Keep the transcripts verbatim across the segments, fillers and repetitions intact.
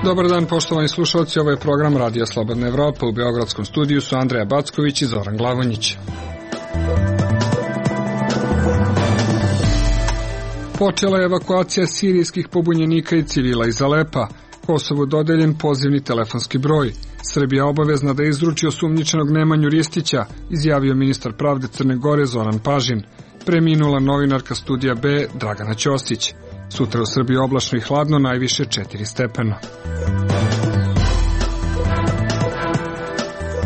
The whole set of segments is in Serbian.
Dobar dan, poštovani slušalci, ovo je program Radija Slobodna Evropa. U Beogradskom studiju su Andreja Backović i Zoran Glavonjić. Počela je evakuacija sirijskih pobunjenika i civila iz Alepa. Kosovu dodeljen pozivni telefonski broj. Srbija obavezna da izruči osumnjičenog Nemanju Ristića, izjavio ministar pravde Crne Gore Zoran Pažin. Preminula novinarka Studija B Dragana Ćosić. Sutra u Srbiji oblačno i hladno, najviše četiri stepena.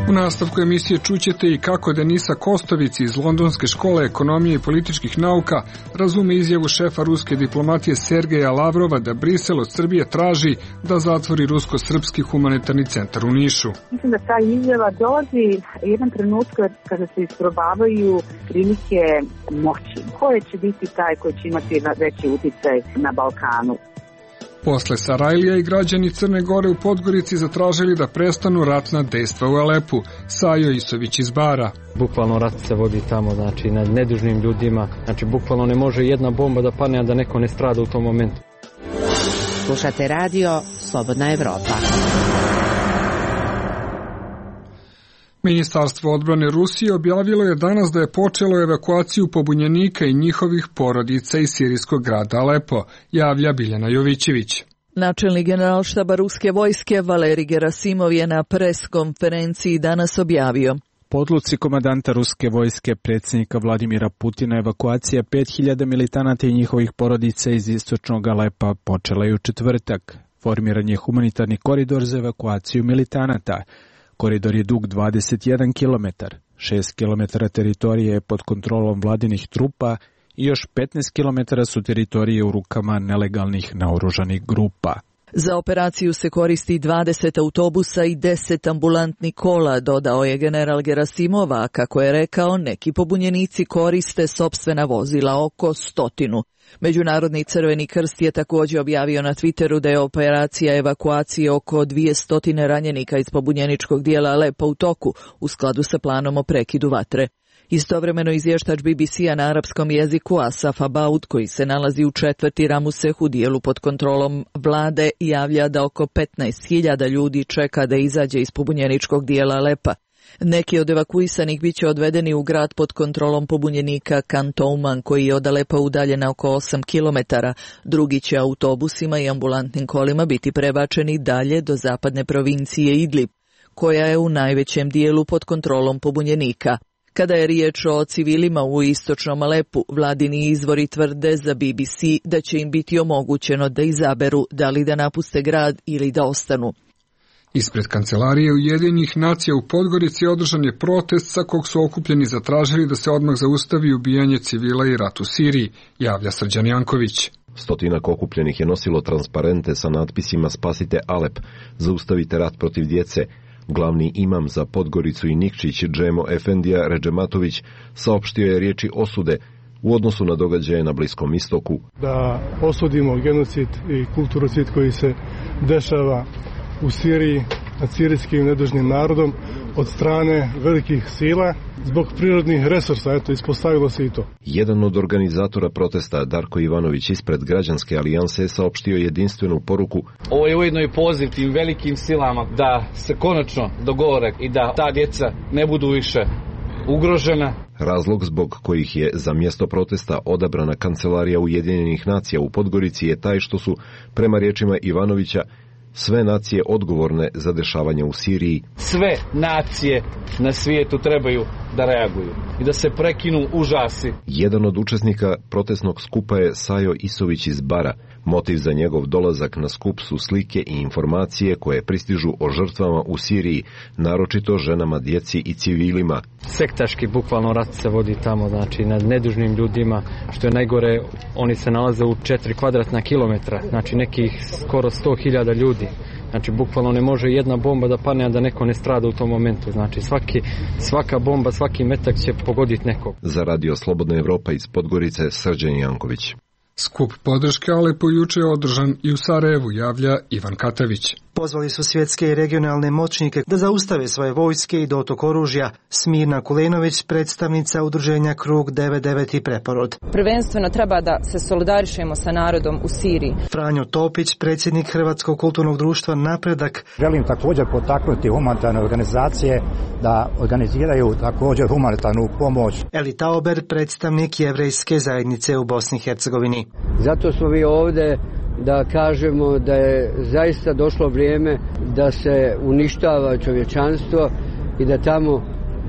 U nastavku emisije čućete i kako Denisa Kostović iz Londonske škole ekonomije i političkih nauka razume izjavu šefa ruske diplomatije Sergeja Lavrova da Brisel od Srbije traži da zatvori rusko-srpski humanitarni centar u Nišu. Mislim da ta izjava dolazi jedan trenutak kada se isprobavaju prilike moći. Ko će biti taj koji će imati veći uticaj na Balkanu? Posle Sarajlija i građani Crne Gore u Podgorici zatražili da prestanu ratna dejstva u Alepu. Sajo Isović iz Bara. Bukvalno rat se vodi tamo, znači nad nedužnim ljudima. Znači bukvalno ne može jedna bomba da padne, a da neko ne strada u tom momentu. Slušate radio Slobodna Evropa. Ministarstvo odbrane Rusije objavilo je danas da je počelo evakuaciju pobunjenika i njihovih porodica iz sirijskog grada Alepo, javlja Biljana Jovićević. Načelnik generalštaba ruske vojske Valerij Gerasimov je na pres konferenciji danas objavio: Po odluci komandanta ruske vojske predsjednika Vladimira Putina, evakuacija pet hiljada militanata i njihovih porodica iz istočnog Alepa počela je u četvrtak. Formiran je humanitarni koridor za evakuaciju militanata. Koridor je dug dvadeset jedan kilometar, šest kilometara teritorije je pod kontrolom vladinih trupa i još petnaest kilometara su teritorije u rukama nelegalnih naoružanih grupa. Za operaciju se koristi dvadeset autobusa i deset ambulantnih kola, dodao je general Gerasimov, a kako je rekao, neki pobunjenici koriste sopstvena vozila, oko stotinu. Međunarodni Crveni krst je također objavio na Twitteru da je operacija evakuacije oko dvjesto ranjenika iz pobunjeničkog dijela Alepa u toku, u skladu sa planom o prekidu vatre. Istovremeno izvještač B B C-a na arapskom jeziku Asaf Abaud, koji se nalazi u četvrti Ramuseh u dijelu pod kontrolom vlade, javlja da oko petnaest hiljada ljudi čeka da izađe iz pobunjeničkog dijela Alepa. Neki od evakuisanih bit će odvedeni u grad pod kontrolom pobunjenika Kantouman, koji je od Alepa udaljen oko osam kilometara. Drugi će autobusima i ambulantnim kolima biti prebačeni dalje do zapadne provincije Idlib, koja je u najvećem dijelu pod kontrolom pobunjenika. Kada je riječ o civilima u istočnom Alepu, vladini izvori tvrde za B B C da će im biti omogućeno da izaberu da li da napuste grad ili da ostanu. Ispred kancelarije Ujedinjenih nacija u Podgorici održan je protest sa kog su okupljeni zatražili da se odmah zaustavi ubijanje civila i rat u Siriji, javlja Srđan Janković. Stotinak okupljenih je nosilo transparente sa natpisima Spasite Alep, zaustavite rat protiv djece. Glavni imam za Podgoricu i Nikčić, Džemo Efendija Redžematović, saopštio je riječi osude u odnosu na događaje na Bliskom istoku. Da osudimo genocid i kulturocid koji se dešava u Siriji nad sirijskim nedužnim narodom od strane velikih sila zbog prirodnih resursa, eto, ispostavilo se i to. Jedan od organizatora protesta, Darko Ivanović ispred Građanske alijanse, saopštio jedinstvenu poruku. Ovo je ujedno i poziv tim velikim silama da se konačno dogovore i da ta djeca ne budu više ugrožena. Razlog zbog kojih je za mjesto protesta odabrana kancelarija Ujedinjenih nacija u Podgorici je taj što su, prema riječima Ivanovića, sve nacije odgovorne za dešavanje u Siriji. Sve nacije na svijetu trebaju da reaguju i da se prekinu užasi. Jedan od učesnika protestnog skupa je Sajo Isović iz Bara. Motiv za njegov dolazak na skup su slike i informacije koje pristižu o žrtvama u Siriji, naročito ženama, djeci i civilima. Sektaški bukvalno rat se vodi tamo, znači nad nedužnim ljudima, što je najgore, oni se nalaze u četiri kvadratna kilometra, znači nekih skoro sto hiljada ljudi. Znači, bukvalno ne može jedna bomba da padne, a da neko ne strada u tom momentu. Znači, svaki, svaka bomba, svaki metak će pogoditi nekog. Za radio Slobodna Evropa iz Podgorice, Srđan Janković. Skup podrške Alepu juče je održan i u Sarajevu, javlja Ivan Katavić. Pozvali su svjetske i regionalne moćnike da zaustave svoje vojske i dotok oružja. Smirna Kulenović, predstavnica udruženja Krug devedeset devet i Preporod. Prvenstveno treba da se solidarišemo sa narodom u Siriji. Franjo Topić, predsjednik Hrvatskog kulturnog društva Napredak. Želim također potaknuti humanitarne organizacije da organiziraju također humanitarnu pomoć. Eli Tauber, predstavnik jevrejske zajednice u Bosni i Hercegovini. Zato smo vi ovdje da kažemo da je zaista došlo vrijeme da se uništava čovječanstvo i da tamo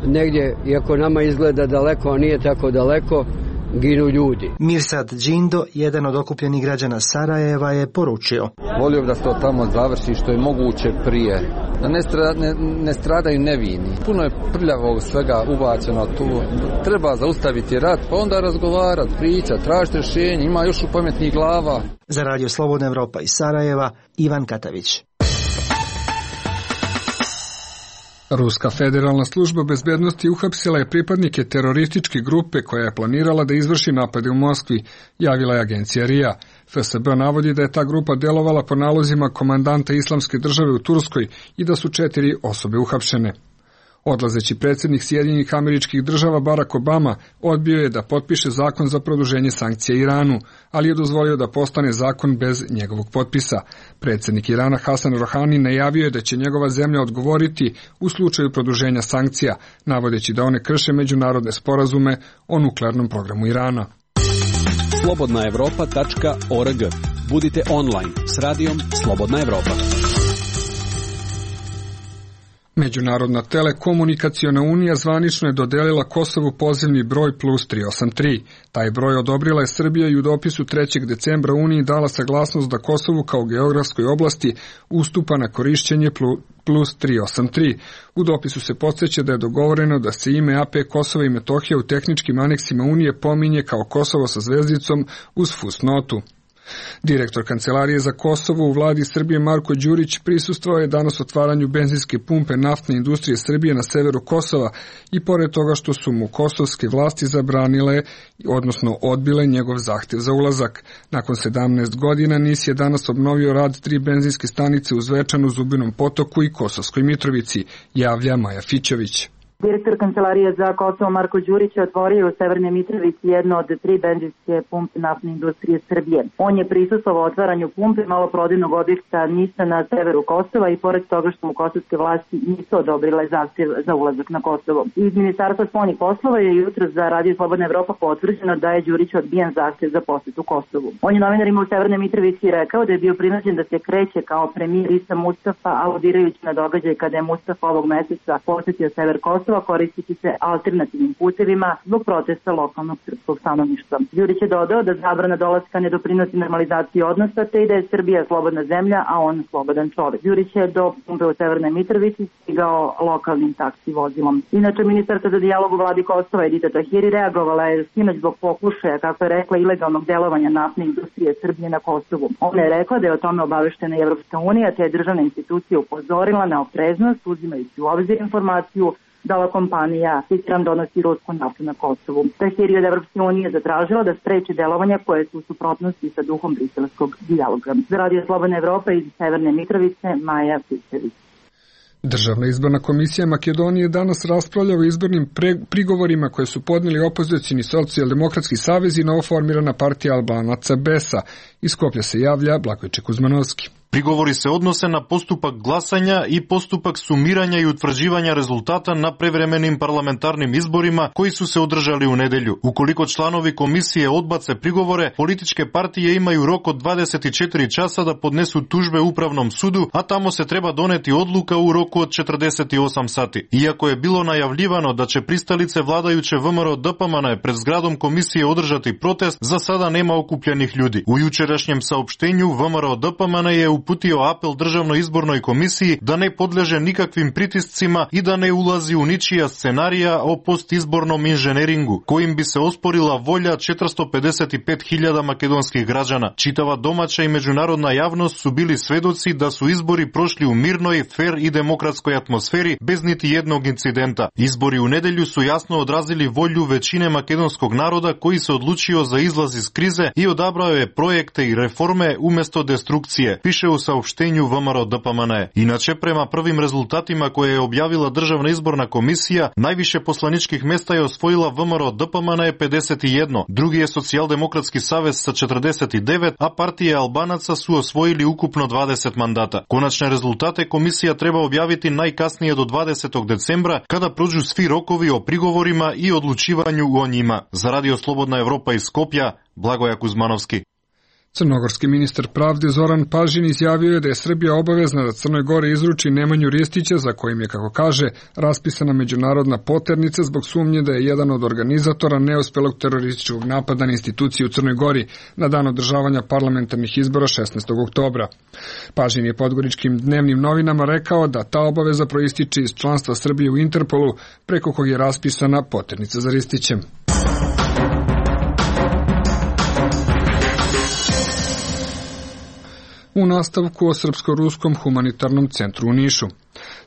negdje, iako nama izgleda daleko, a nije tako daleko, ginu ljudi. Mirsad Džindo, jedan od okupljenih građana Sarajeva, je poručio: volio da se to tamo završi što je moguće prije, da ne, stra, ne, ne stradaju nevini. Puno je prljavog svega ubačeno tu. Treba zaustaviti rat, pa onda razgovarati, pričati, tražiti rješenje. Ima još u pametnih glava. Za Radio Slobodna Evropa iz Sarajeva, Ivan Katavić. Ruska federalna služba bezbednosti uhapsila je pripadnike terorističke grupe koja je planirala da izvrši napade u Moskvi, javila je agencija R I A. F S B navodi da je ta grupa delovala po nalozima komandanta Islamske države u Turskoj i da su četiri osobe uhapšene. Odlazeći predsjednik Sjedinjenih Američkih Država Barack Obama odbio je da potpiše zakon za produženje sankcija Iranu, ali je dozvolio da postane zakon bez njegovog potpisa. Predsjednik Irana Hasan Rohani najavio je da će njegova zemlja odgovoriti u slučaju produženja sankcija, navodeći da one krše međunarodne sporazume o nuklearnom programu Irana. slobodna evropa tačka org. Budite online s radijom Slobodna Evropa. Međunarodna telekomunikaciona unija zvanično je dodelila Kosovu pozivni broj plus tri osam tri. Taj broj odobrila je Srbija i u dopisu trećeg decembra Uniji dala saglasnost da Kosovu kao geografskoj oblasti ustupa na korišćenje plus tri osam tri. U dopisu se podsjeća da je dogovoreno da se ime A P Kosova i Metohija u tehničkim aneksima Unije pominje kao Kosovo sa zvezdicom uz fusnotu. Direktor Kancelarije za Kosovo u vladi Srbije Marko Đurić prisustvovao je danas otvaranju benzinske pumpe naftne industrije Srbije na severu Kosova i pored toga što su mu kosovske vlasti zabranile, odnosno odbile njegov zahtjev za ulazak. Nakon sedamnaest godina N I S je danas obnovio rad tri benzinske stanice u Zvečanu, Zubinom Potoku i Kosovskoj Mitrovici, javlja Maja Fićović. Direktor Kancelarije za Kosovo Marko Đurić je otvorio u Severnoj Mitrovici jedno od tri benzinske pumpe naftne industrije Srbije. On je prisustvovao otvaranju pumpe maloprodajnog objekta N I S-a na severu Kosova i pored toga što mu kosovske vlasti nisu odobrile zahtjev za ulazak na Kosovo. Iz Ministarstva spoljnih poslova je jutro za Radio Slobodna Evropa potvrđeno da je Đurić odbijen zahtjev za posjetu Kosovu. On je novinarima u Severnoj Mitrovici rekao da je bio prinuđen da se kreće kao premijer Isa Mustafa, aludirajući na događaj kada je Mustafa ovog meseca posjetio sever Kosova koristiti se alternativnim putevima zbog protesta lokalnog srpskog stanovništva. Đurić je dodao da zabrana dolaska ne doprinosi normalizaciji odnosa, te i da je Srbija slobodna zemlja, a on slobodan čovjek. Đurić je do pumpe u Severnoj Mitrovici stigao lokalnim taksi vozilom. Inače, ministarka za dijalog u vladi Kosova Edita Tahiri reagovala je sinoć zbog pokušaja, kako je rekla, ilegalnog delovanja naftne industrije Srbije na Kosovu. Ona je rekla da je o tome obaveštena i Evropska unija, te je državna institucija upozorila na opreznost, uzimajući u obzir informaciju da ova kompanija Citran donosi rusku naftu na Kosovu. Tahiri od Evropske unije zatražila da spreči delovanja koje su u suprotnosti sa duhom briselskog dijaloga. Za Radio Slobodna Evropa iz Severne Mitrovice, Maja Fićević. Državna izborna komisija Makedonije danas raspravlja o izbornim pre, prigovorima koje su podnijeli opozicioni socijaldemokratski savez i novoformirana partija Albanaca Besa. Iz Skoplja se javlja Blagoje Kuzmanovski. Prigovori se odnose na postupak glasanja i postupak sumiranja i utvrđivanja rezultata na prevremenim parlamentarnim izborima koji su se održali u nedelju. Ukoliko članovi komisije odbace prigovore, političke partije imaju rok od dvadeset četiri časa da podnesu tužbe Upravnom sudu, a tamo se treba doneti odluka u roku od četrdeset osam sati. Iako je bilo najavljivano da će pristalice vladajuće V M R O D P M N pred zgradom komisije održati protest, za sada nema okupljenih ljudi. U jučerašnjem saopštenju V M R O D P M N je u uputio apel Državnoj izbornoj komisiji da ne podleže nikakvim pritiscima i da ne ulazi u ničija scenarija o postizbornom inženjeringu, kojim bi se osporila volja četiristo pedeset pet hiljada makedonskih građana. Čitava domaća i međunarodna javnost su bili svedoci da su izbori prošli u mirnoj, fer i demokratskoj atmosferi bez niti jednog incidenta. Izbori u nedelju su jasno odrazili volju većine makedonskog naroda koji se odlučio za izlaz iz krize i odabrao je projekte i reforme umjesto destrukcije, piše u saopštenju V M R O D P M N E. Inače, prema prvim rezultatima koje je objavila Državna izborna komisija, najviše poslaničkih mesta je osvojila V M R O D P M N E pedeset jedan, drugi je Socijaldemokratski savez sa četrdeset devet, a partije Albanaca su osvojili ukupno dvadeset mandata. Konačne rezultate komisija treba objaviti najkasnije do dvadesetog decembra, kada prođu svi rokovi o prigovorima i odlučivanju o njima. Za Radio Slobodna Evropa iz Skopja, Blagoja Kuzmanovski. Crnogorski ministar pravde Zoran Pažin izjavio je da je Srbija obavezna da Crnoj Gori izruči Nemanju Ristića, za kojim je, kako kaže, raspisana međunarodna poternica zbog sumnje da je jedan od organizatora neuspelog terorističkog napada na instituciju u Crnoj Gori na dan održavanja parlamentarnih izbora šesnaestog oktobra. Pažin je podgoričkim dnevnim novinama rekao da ta obaveza proističe iz članstva Srbije u Interpolu, preko kog je raspisana poternica za Ristićem. U nastavku o Srpsko-ruskom humanitarnom centru u Nišu.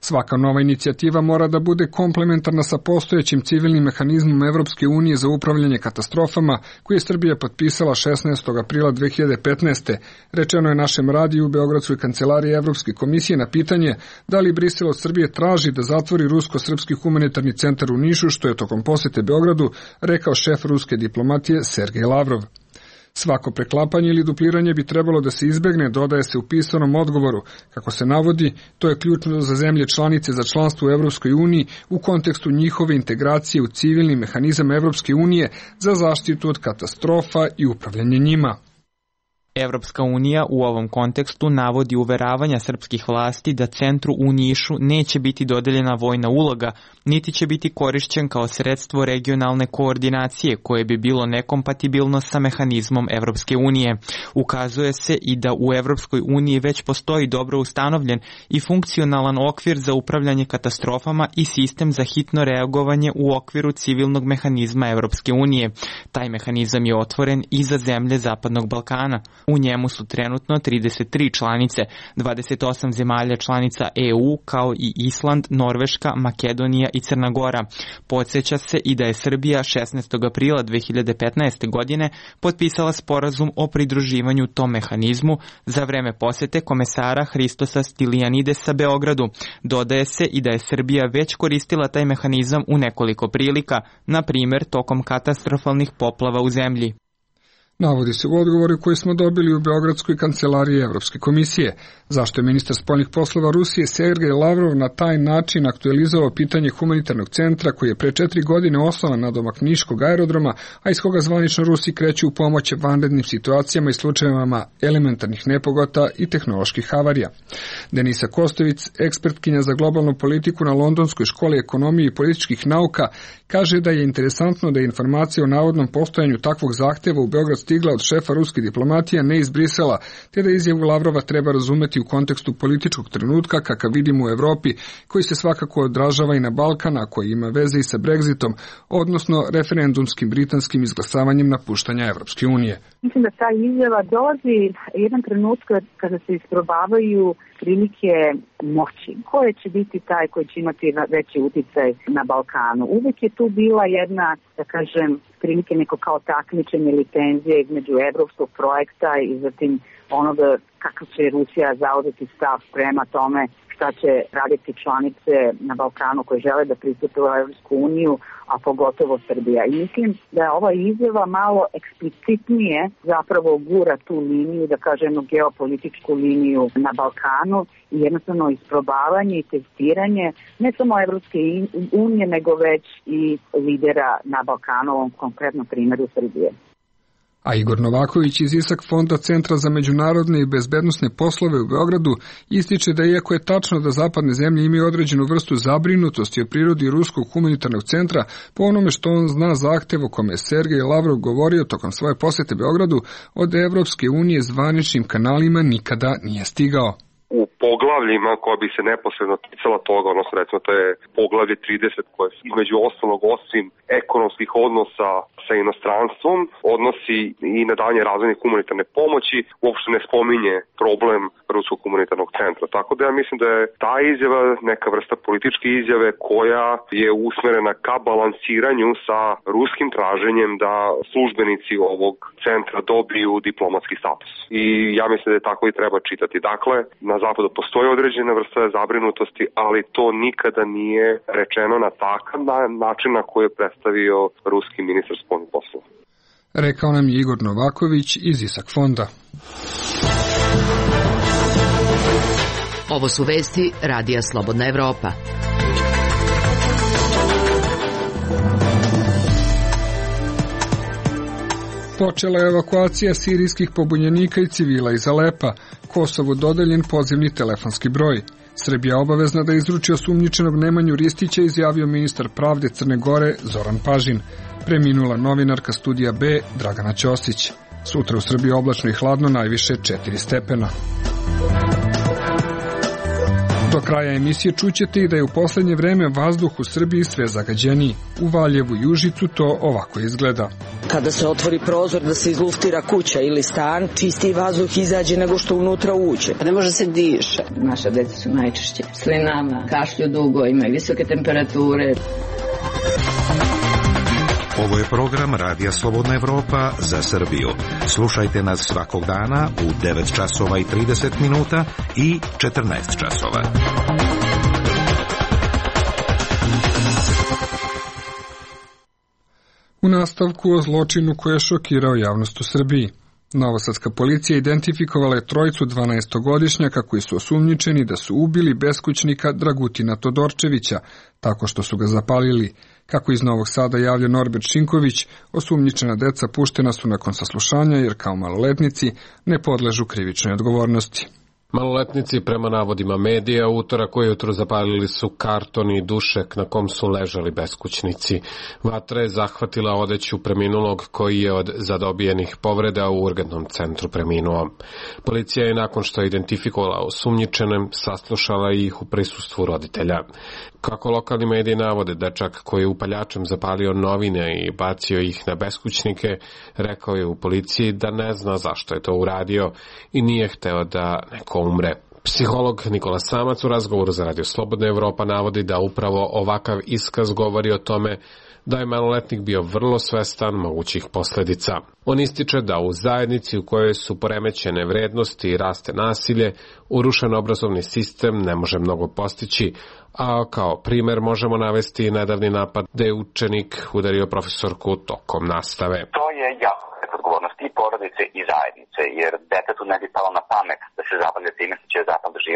Svaka nova inicijativa mora da bude komplementarna sa postojećim civilnim mehanizmom Evropske unije za upravljanje katastrofama, koji je Srbija potpisala šesnaestog aprila dve hiljade petnaeste. Rečeno je našem radiju u Beogradskoj kancelariji Evropske komisije na pitanje da li Brisel od Srbije traži da zatvori rusko-srpski humanitarni centar u Nišu, što je tokom posete Beogradu rekao šef ruske diplomatije Sergej Lavrov. Svako preklapanje ili dupliranje bi trebalo da se izbegne, dodaje se u pisanom odgovoru. Kako se navodi, to je ključno za zemlje članice za članstvo u Evropskoj uniji u kontekstu njihove integracije u civilni mehanizam Evropske unije za zaštitu od katastrofa i upravljanje njima. Evropska unija u ovom kontekstu navodi uveravanja srpskih vlasti da centru u Nišu neće biti dodeljena vojna uloga, niti će biti korišćen kao sredstvo regionalne koordinacije koje bi bilo nekompatibilno sa mehanizmom Evropske unije. Ukazuje se i da u Evropskoj uniji već postoji dobro ustanovljen i funkcionalan okvir za upravljanje katastrofama i sistem za hitno reagovanje u okviru civilnog mehanizma Evropske unije. Taj mehanizam je otvoren i za zemlje Zapadnog Balkana. U njemu su trenutno trideset tri članice, dvadeset osam zemalja članica E U, kao i Island, Norveška, Makedonija i Crna Gora. Podsjeća se i da je Srbija šesnaestog aprila dve hiljade petnaeste. godine potpisala sporazum o pridruživanju tom mehanizmu za vreme posete komesara Hristosa Stilijanidesa Beogradu. Dodaje se i da je Srbija već koristila taj mehanizam u nekoliko prilika, na primjer tokom katastrofalnih poplava u zemlji. Navodi se u odgovoru koji smo dobili u Beogradskoj kancelariji Evropske komisije. Zašto je ministar spoljnih poslova Rusije Sergej Lavrov na taj način aktualizovao pitanje humanitarnog centra koji je pre četiri godine osnovan na domak Niškog aerodroma, a iz koga zvanično Rusi kreću u pomoć vanrednim situacijama i slučajevima elementarnih nepogota i tehnoloških havarija. Denisa Kostović, ekspertkinja za globalnu politiku na Londonskoj školi ekonomije i političkih nauka, kaže da je interesantno da je informacija o navodnom postojanju takvog zahteva u Beograd stigla od šefa ruske diplomatije, ne iz Brisela, te da izjavu Lavrova treba razumeti u kontekstu političkog trenutka kakav vidimo u Evropi, koji se svakako odražava i na Balkan, a koji ima veze i sa Brexitom, odnosno referendumskim britanskim izglasavanjem napuštanja Evropske unije. Mislim da ta izjava dolazi jedan trenutka kada se isprobavaju prilike moći. Ko će biti taj koji će imati veći uticaj na Balkanu? Uvek je tu bila jedna, da kažem, prilike neko kao takmičenje ili tenzije između evropskog projekta i zatim onoga kako će Rusija zauzeti stav prema tome šta će raditi članice na Balkanu koje žele da pristupe u Evropsku uniju, a pogotovo Srbija. I mislim da je ova izjava malo eksplicitnije zapravo gura tu liniju, da kažemo geopolitičku liniju na Balkanu i jednostavno isprobavanje i testiranje ne samo Evropske unije, nego već i lidera na Balkanu, ovom konkretnom primjeru Srbije. A Igor Novaković iz ISAK fonda Centra za međunarodne i bezbednosne poslove u Beogradu ističe da iako je tačno da zapadne zemlje imaju određenu vrstu zabrinutosti o prirodi Ruskog humanitarnog centra, po onome što on zna zahtev o kome je Sergej Lavrov govorio tokom svoje posete Beogradu, od Evropske unije zvaničnim kanalima nikada nije stigao. U poglavljima koja bi se neposredno ticala toga, odnosno recimo to je poglavlje trideset koje između ostalog osim ekonomskih odnosa sa inostranstvom odnosi i na dalje razvojne humanitarne pomoći, uopšte ne spominje problem Ruskog humanitarnog centra. Tako da ja mislim da je ta izjava neka vrsta političke izjave koja je usmerena ka balansiranju sa ruskim traženjem da službenici ovog centra dobiju diplomatski status. I ja mislim da je tako i treba čitati. Dakle, na zapadu postoji određena vrsta zabrinutosti, ali to nikada nije rečeno na takav način na koji je predstavio ruski ministar spoljnih poslova. Rekao nam je Igor Novaković iz ISAK fonda. Ovo su vesti Radija Slobodna Evropa. Počela je evakuacija sirijskih pobunjenika i civila iz Alepa. Kosovu dodeljen pozivni telefonski broj. Srbija obavezna da izruči osumnjičenog Nemanju Ristića, izjavio ministar pravde Crne Gore Zoran Pažin. Preminula novinarka Studija B Dragana Ćosić. Sutra u Srbiji oblačno i hladno, najviše četiri stepena. Do kraja emisije čućete i da je u poslednje vreme vazduh u Srbiji sve zagađeniji. U Valjevu i Užicu to ovako izgleda. Kada se otvori prozor da se izluftira kuća ili stan, čistiji vazduh izađe nego što unutra uđe. Ne može se diše. Naša deca su najčešće slinama, kašlju dugo, imaju visoke temperature. Ovo je program Radija Slobodna Evropa za Srbiju. Slušajte nas svakog dana u devet časova i trideset minuta i četrnaest časova. U nastavku o zločinu koji je šokirao javnost u Srbiji. Novosadska policija identifikovala je trojicu dvanaestogodišnjaka koji su osumnjičeni da su ubili beskućnika Dragutina Todorčevića, tako što su ga zapalili. Kako iz Novog Sada javlja Norbert Šinković, osumnjičena deca puštena su nakon saslušanja jer kao maloletnici ne podležu krivičnoj odgovornosti. Maloletnici, prema navodima medija, utorak ujutru zapalili su karton i dušek na kom su ležali beskućnici. Vatra je zahvatila odeću preminulog koji je od zadobijenih povreda u urgentnom centru preminuo. Policija je nakon što je identifikovala osumnjičene, saslušala ih u prisustvu roditelja. Kako lokalni mediji navode, dečak koji je upaljačem zapalio novine i bacio ih na beskućnike, rekao je u policiji da ne zna zašto je to uradio i nije hteo da neko umre. Psiholog Nikola Samac u razgovoru za Radio Slobodna Evropa navodi da upravo ovakav iskaz govori o tome da je maloletnik bio vrlo svestan mogućih posledica. On ističe da u zajednici u kojoj su poremećene vrednosti i raste nasilje, urušen obrazovni sistem ne može mnogo postići, a kao primer možemo navesti nedavni napad da je učenik udario profesorku tokom nastave. To je jako odgovornost i porodice i zajednice, jer detetu ne bi palo na pamet da se zapalje time što će zapaliti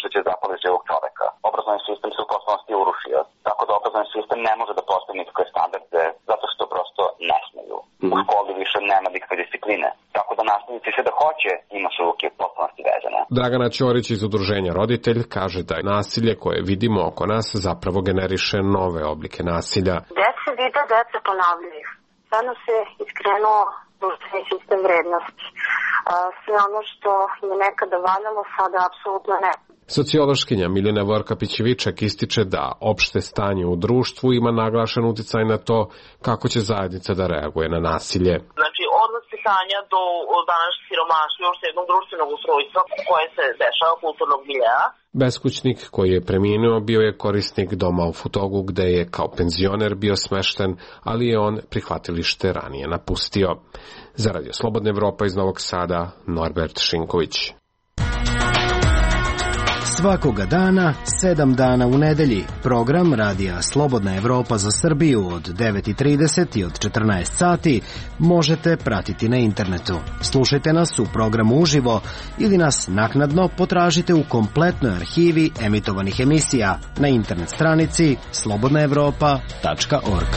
što će zapaliti živog čoveka. Obrazovni sistem se u potpunosti urušio, tako da obrazovni sistem ne može da postavi nikakve standarde, zato što prosto ne smeju. U školi više nema nikakve discipline, tako da nastavnici sve da hoće ima su ruke potpunosti vezane. Dragana Ćorić iz udruženja Roditelj kaže da je nasilje koje vidimo oko nas zapravo generiše nove oblike nasilja. Deca vide, deca ponavljaju. Sada se iskrenuo društveni sistem vrednosti. Sve ono što je nekada valjalo, sada apsolutno ne. Sociološkinja Miljana Vorkapić-Viček ističe da opšte stanje u društvu ima naglašen uticaj na to kako će zajednica da reaguje na nasilje. Znači, od vaspitanja do današnjeg siromaštva, još jednog društvenog ustrojstva koje se dešava kulturnog miljeja. Beskućnik koji je preminuo bio je korisnik doma u Futogu gde je kao penzioner bio smešten, ali je on prihvatilište ranije napustio. Za Radio Slobodna Evropa iz Novog Sada, Norbert Šinković. Svakoga dana, sedam dana u nedelji, program Radija Slobodna Evropa za Srbiju od devet i trideset i od četrnaest sati možete pratiti na internetu. Slušajte nas u programu uživo ili nas naknadno potražite u kompletnoj arhivi emitovanih emisija na internet stranici slobodna evropa tačka org.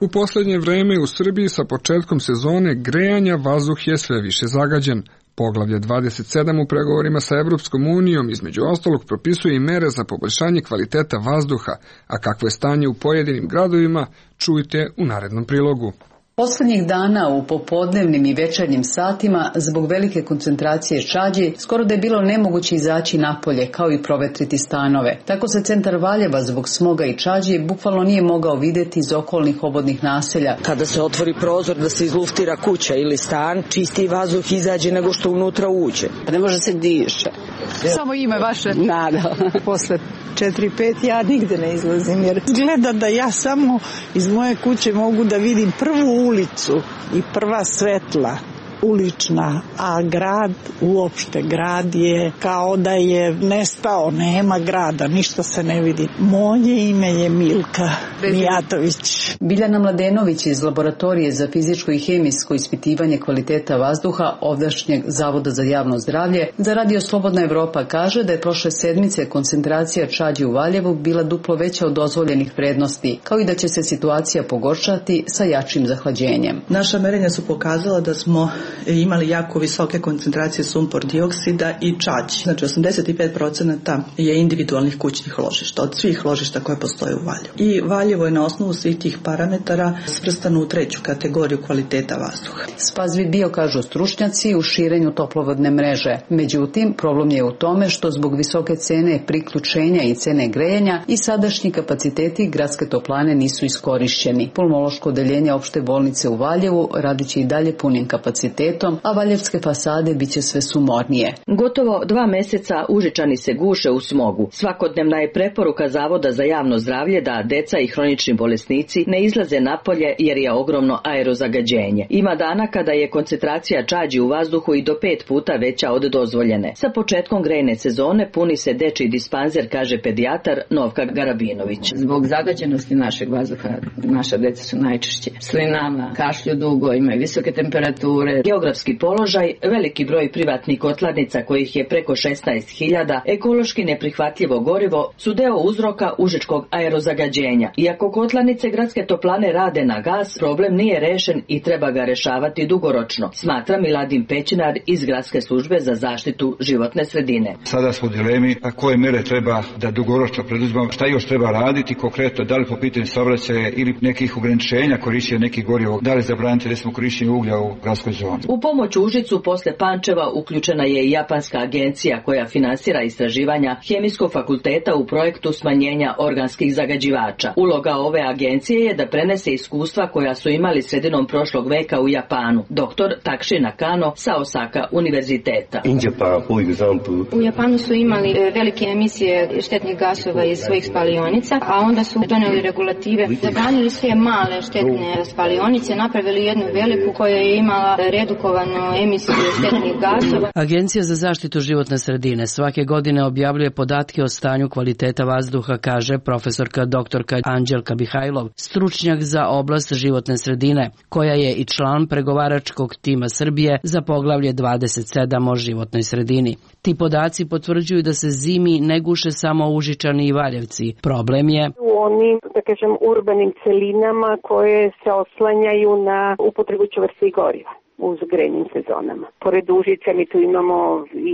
U poslednje vreme u Srbiji sa početkom sezone grejanja vazduh je sve više zagađen. Poglavlje dvadeset sedam u pregovorima sa Evropskom unijom između ostalog propisuje i mere za poboljšanje kvaliteta vazduha, a kakvo je stanje u pojedinim gradovima, čujte u narednom prilogu. Poslednjih dana u popodnevnim i večernjim satima zbog velike koncentracije čađi skoro da je bilo nemoguće izaći napolje kao i provetriti stanove. Tako se centar Valjeva zbog smoga i čađi bukvalno nije mogao videti iz okolnih obodnih naselja. Kada se otvori prozor da se izluftira kuća ili stan, čistiji vazduh izađe nego što unutra uđe. Ne može se diše. Samo ime vaše? Nada. Posle četiri pet ja nigde ne izlazim jer gleda da ja samo iz moje kuće mogu da vidim prvu ulicu i prva svetla ulična, a grad, uopšte grad je kao da je nestao, nema grada, ništa se ne vidi. Moje ime je Milka Mijatović. Biljana Mladenović iz Laboratorije za fizičko i hemijsko ispitivanje kvaliteta vazduha ovdašnjeg Zavoda za javno zdravlje za Radio Slobodna Evropa kaže da je prošle sedmice koncentracija čađi u Valjevu bila duplo veća od dozvoljenih vrednosti, kao i da će se situacija pogoršati sa jačim zahlađenjem. Naša merenja su pokazala da smo imali jako visoke koncentracije sumpor dioksida i čađi. Znači osamdeset pet procenata je individualnih kućnih ložišta, od svih ložišta koje postoje u Valjevu. I Valjevo je na osnovu svih tih parametara svrstano u treću kategoriju kvaliteta vazduha. Spazvi bio, kažu stručnjaci, u širenju toplovodne mreže. Međutim, problem je u tome što zbog visoke cene priključenja i cene grejanja i sadašnji kapaciteti gradske toplane nisu iskorišćeni. Pulmološko odeljenje opšte bolnice u Valjevu radiće i dalje punim kapacitetom, a valjevske fasade biće sve sumornije. Gotovo dva meseca Užičani se guše u smogu. Svakodnevna je preporuka Zavoda za javno zdravlje da deca i hronični bolesnici ne izlaze napolje jer je ogromno aerozagađenje. Ima dana kada je koncentracija čađi u vazduhu i do pet puta veća od dozvoljene. Sa početkom grejne sezone puni se dečiji dispanzer, kaže pedijatar Novka Garabinović. Zbog zagađenosti našeg vazduha naša deca su najčešće slinama, kašlju dugo, imaju visoke temperature. Geografski položaj, veliki broj privatnih kotlarnica kojih je preko šesnaest hiljada, ekološki neprihvatljivo gorivo su deo uzroka užičkog aerozagađenja. Iako kotlarnice gradske toplane rade na gas, problem nije rešen i treba ga rešavati dugoročno, smatra Miladin Pećinar iz Gradske službe za zaštitu životne sredine. Sada smo u dilemi koje mere treba da dugoročno preduzmemo, šta još treba raditi konkretno, da li po pitanju saobraćaja ili nekih ograničenja korišćenja nekih goriva, da li zabraniti recimo korišćenje uglja u gradskoj zoni. U pomoć Užicu posle Pančeva uključena je i japanska agencija koja finansira istraživanja Hemijskog fakulteta u projektu smanjenja organskih zagađivača. Uloga ove agencije je da prenese iskustva koja su imali sredinom prošlog veka u Japanu. Doktor Takshi Nakano sa Osaka univerziteta. U Japanu su imali velike emisije štetnih gasova iz svojih spalionica, a onda su doneli regulative, zabranili sve male štetne spalionice, napravili jednu veliku koja je imala redukovanu emisiju štetnih gasova. Agencija za zaštitu životne sredine svake godine objavljuje podatke o stanju kvaliteta vazduha, kaže profesorka doktorka Anđelka Mihajlov, stručnjak za oblast životne sredine, koja je i član pregovaračkog tima Srbije za poglavlje dvadeset sedam o životnoj sredini. Ti podaci potvrđuju da se zimi ne guše samo Užičani i Valjevci. Problem je u onim, da kažem, urbanim celinama koje se oslanjaju na upotrebu čvrstih goriva u grejnim sezonama. Pored Užica mi tu imamo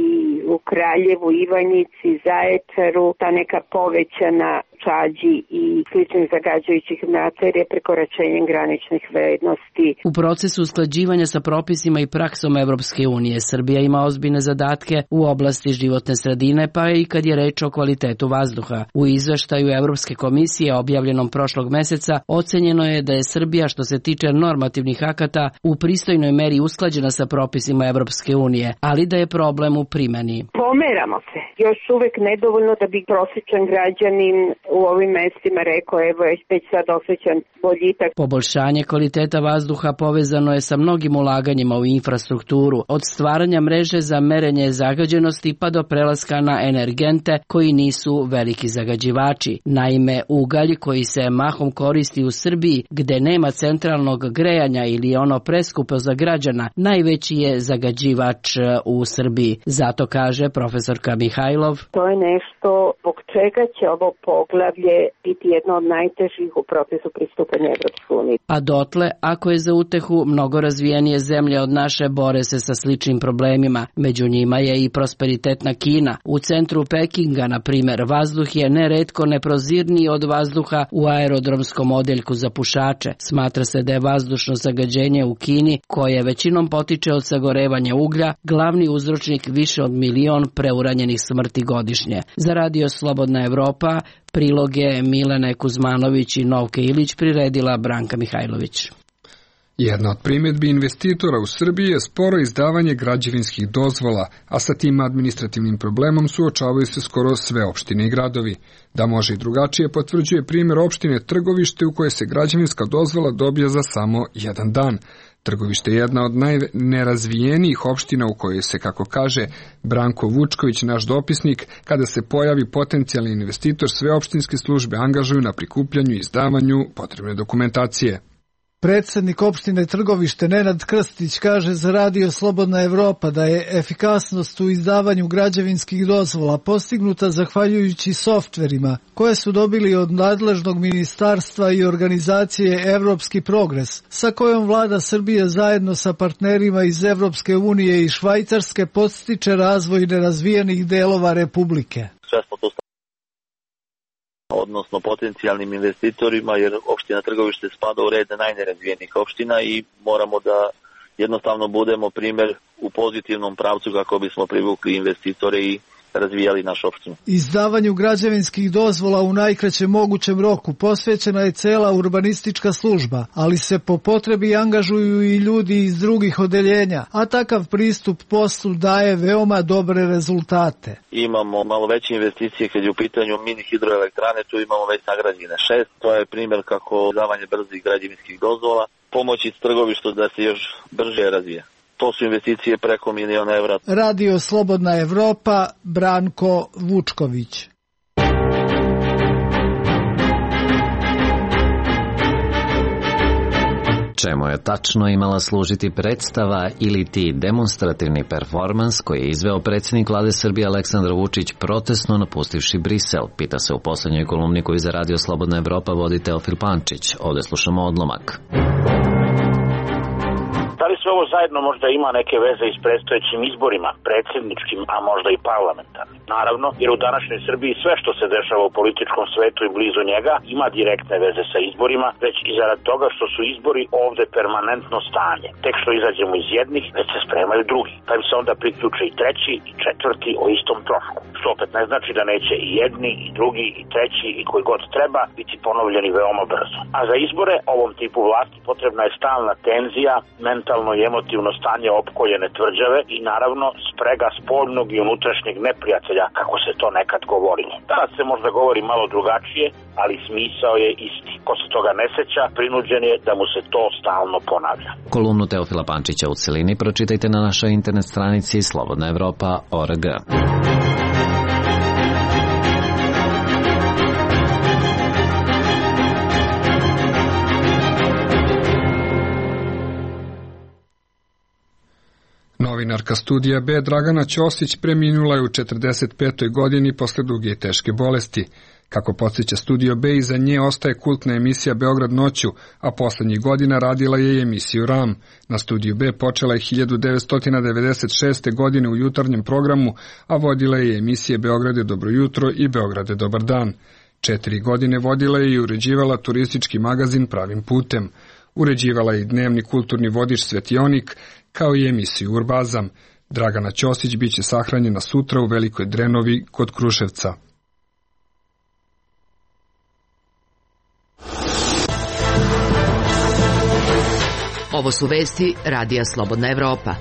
i u Kraljevu, Ivanjici, Zaječaru, ta neka povećana čađi i sličnih zagađujućih materija prekoračenjem graničnih vrednosti. U procesu usklađivanja sa propisima i praksom Evropske unije, Srbija ima ozbiljne zadatke u oblasti životne sredine, pa i kad je reč o kvalitetu vazduha. U izveštaju Evropske komisije objavljenom prošlog meseca ocenjeno je da je Srbija što se tiče normativnih akata u pristojnoj meri usklađena sa propisima Evropske unije, ali da je problem u primeni. Pomeramo se. Još uvek nedovoljno da bi prosječan građanin u ovim mestima rekao, evo je već sad osjećan boljitak. Poboljšanje kvaliteta vazduha povezano je sa mnogim ulaganjima u infrastrukturu, od stvaranja mreže za merenje zagađenosti pa do prelaska na energente koji nisu veliki zagađivači. Naime, ugalj koji se mahom koristi u Srbiji, gde nema centralnog grejanja ili ono preskupo za građana, najveći je zagađivač u Srbiji. Zato kaže profesorka Mihajlov. To je nešto zbog čega će ovo poglavlje biti jedno od najtežih u procesu pristupanja Evropske unije. A dotle, ako je za utehu, mnogo razvijenije zemlje od naše bore se sa sličnim problemima. Među njima je i prosperitetna Kina. U centru Pekinga, na primer, vazduh je neretko neprozirniji od vazduha u aerodromskom odeljku za pušače. Smatra se da je vazdušno zagađenje u Kini, koje većinom potiče od sagorevanja uglja, glavni uzročnik više od milion preuranjenih smrti godišnje. Za Radio Slobodna Evropa priloge Milene Kuzmanović i Novke Ilić priredila Branka Mihajlović. Jedna od primjedbi investitora u Srbiji je sporo izdavanje građevinskih dozvola, a sa tim administrativnim problemom suočavaju se skoro sve opštine i gradovi. Da može i drugačije potvrđuje primjer opštine Trgovište u kojoj se građevinska dozvola dobija za samo jedan dan. Trgovište je jedna od najnerazvijenijih opština u kojoj se, kako kaže Branko Vučković, naš dopisnik, kada se pojavi potencijalni investitor, sve opštinske službe angažuju na prikupljanju i izdavanju potrebne dokumentacije. Predsednik opštine Trgovište Nenad Krstić kaže za Radio Slobodna Evropa da je efikasnost u izdavanju građevinskih dozvola postignuta zahvaljujući softverima koje su dobili od nadležnog ministarstva i organizacije Evropski progres, sa kojom vlada Srbije zajedno sa partnerima iz Evropske unije i Švajcarske podstiče razvoj nerazvijenih delova Republike. Sve smo to odnosno potencijalnim investitorima, jer opština Trgovište spada u red najnerazvijenih opština i moramo da jednostavno budemo primjer u pozitivnom pravcu kako bismo privukli investitore i razvijali našu opštinu. Izdavanju građevinskih dozvola u najkraćem mogućem roku posvećena je cela urbanistička služba, ali se po potrebi angažuju i ljudi iz drugih odeljenja, a takav pristup poslu daje veoma dobre rezultate. Imamo malo veće investicije kad je u pitanju mini hidroelektrane, tu imamo već sagrađene šest, to je primjer kako izdavanje brzih građevinskih dozvola pomoći Trgovištu da se još brže razvija. To su investicije preko miliona evra. Radio Slobodna Evropa, Branko Vučković. Čemu je tačno imala služiti predstava ili ti demonstrativni performans koji je izveo predsjednik vlade Srbije Aleksandar Vučić protestno napustivši Brisel, pita se u poslednjoj kolumni koju za Radio Slobodna Evropa vodi Teofil Pančić. Ovde slušamo odlomak. Da li sve ovo zajedno možda ima neke veze i s predstojećim izborima, predsjedničkim, a možda i parlamentarnim? Naravno, jer u današnjoj Srbiji sve što se dešava u političkom svetu i blizu njega ima direktne veze sa izborima, već i zarad toga što su izbori ovde permanentno stanje. Tek što izađemo iz jednih, već se spremaju drugi. Pa im se onda priključe i treći i četvrti o istom trošku. Što opet ne znači da neće i jedni, i drugi, i treći, i koji god treba biti ponovljeni veoma brzo. A za izbore ovom tipu vlasti potrebna je stalna tenzija, mentalno i emotivno stanje opkoljene tvrđave i naravno sprega spoljnog i unutrašnjeg neprijatelja, kako se to nekad govorilo. Danas se možda govori malo drugačije, ali smisao je isti. Ko se toga ne seća, prinuđen je da mu se to stalno ponavlja. Kolumnu Teofila Pančića u celini pročitajte na našoj internet stranici slobodna evropa tačka org. Novinarka Studija B Dragana Ćosić preminula je u četrdeset petoj godini posle duge i teške bolesti. Kako podsjeća Studio B, iza nje ostaje kultna emisija Beograd noću, a poslednjih godina radila je i emisiju Ram. Na Studiju B počela je hiljadu devetsto devedeset šeste. godine u jutarnjem programu, a vodila je emisije Beograde dobro jutro i Beograde dobar dan. Četiri godine vodila je i uređivala turistički magazin Pravim putem. Uređivala je i dnevni kulturni vodič Svetionik, kao i emisiju Urbazam. Dragana Ćosić biće sahranjena sutra u Velikoj Drenovi kod Kruševca. Ovo su vesti Radija Slobodna Evropa.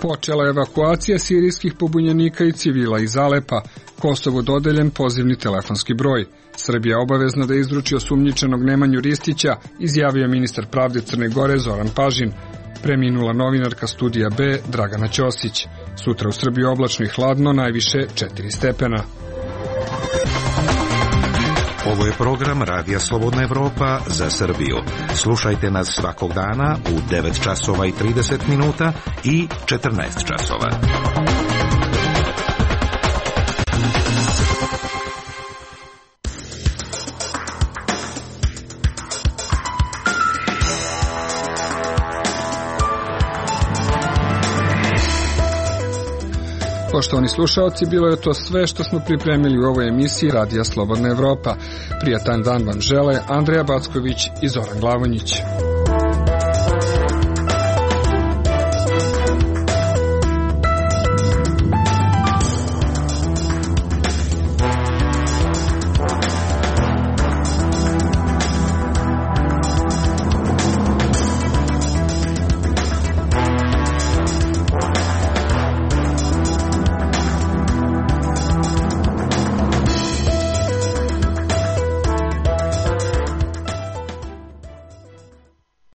Počela evakuacija sirijskih pobunjenika i civila iz Alepa. Kosovo dodeljen pozivni telefonski broj. Srbija obavezna da izruči osumnjičenog Nemanju Ristića, izjavio ministar pravde Crne Gore Zoran Pažin. Preminula novinarka Studija B Dragana Ćosić. Sutra u Srbiji oblačno i hladno, najviše četiri stepena. Ovo je program Radija Slobodna Evropa za Srbiju. Slušajte nas svakog dana u devet časova i trideset minuta i četrnaest časova. Poštovani slušaoci, bilo je to sve što smo pripremili u ovoj emisiji Radija Slobodna Evropa. Prijatan dan vam žele Andreja Backović i Zoran Glavonjić.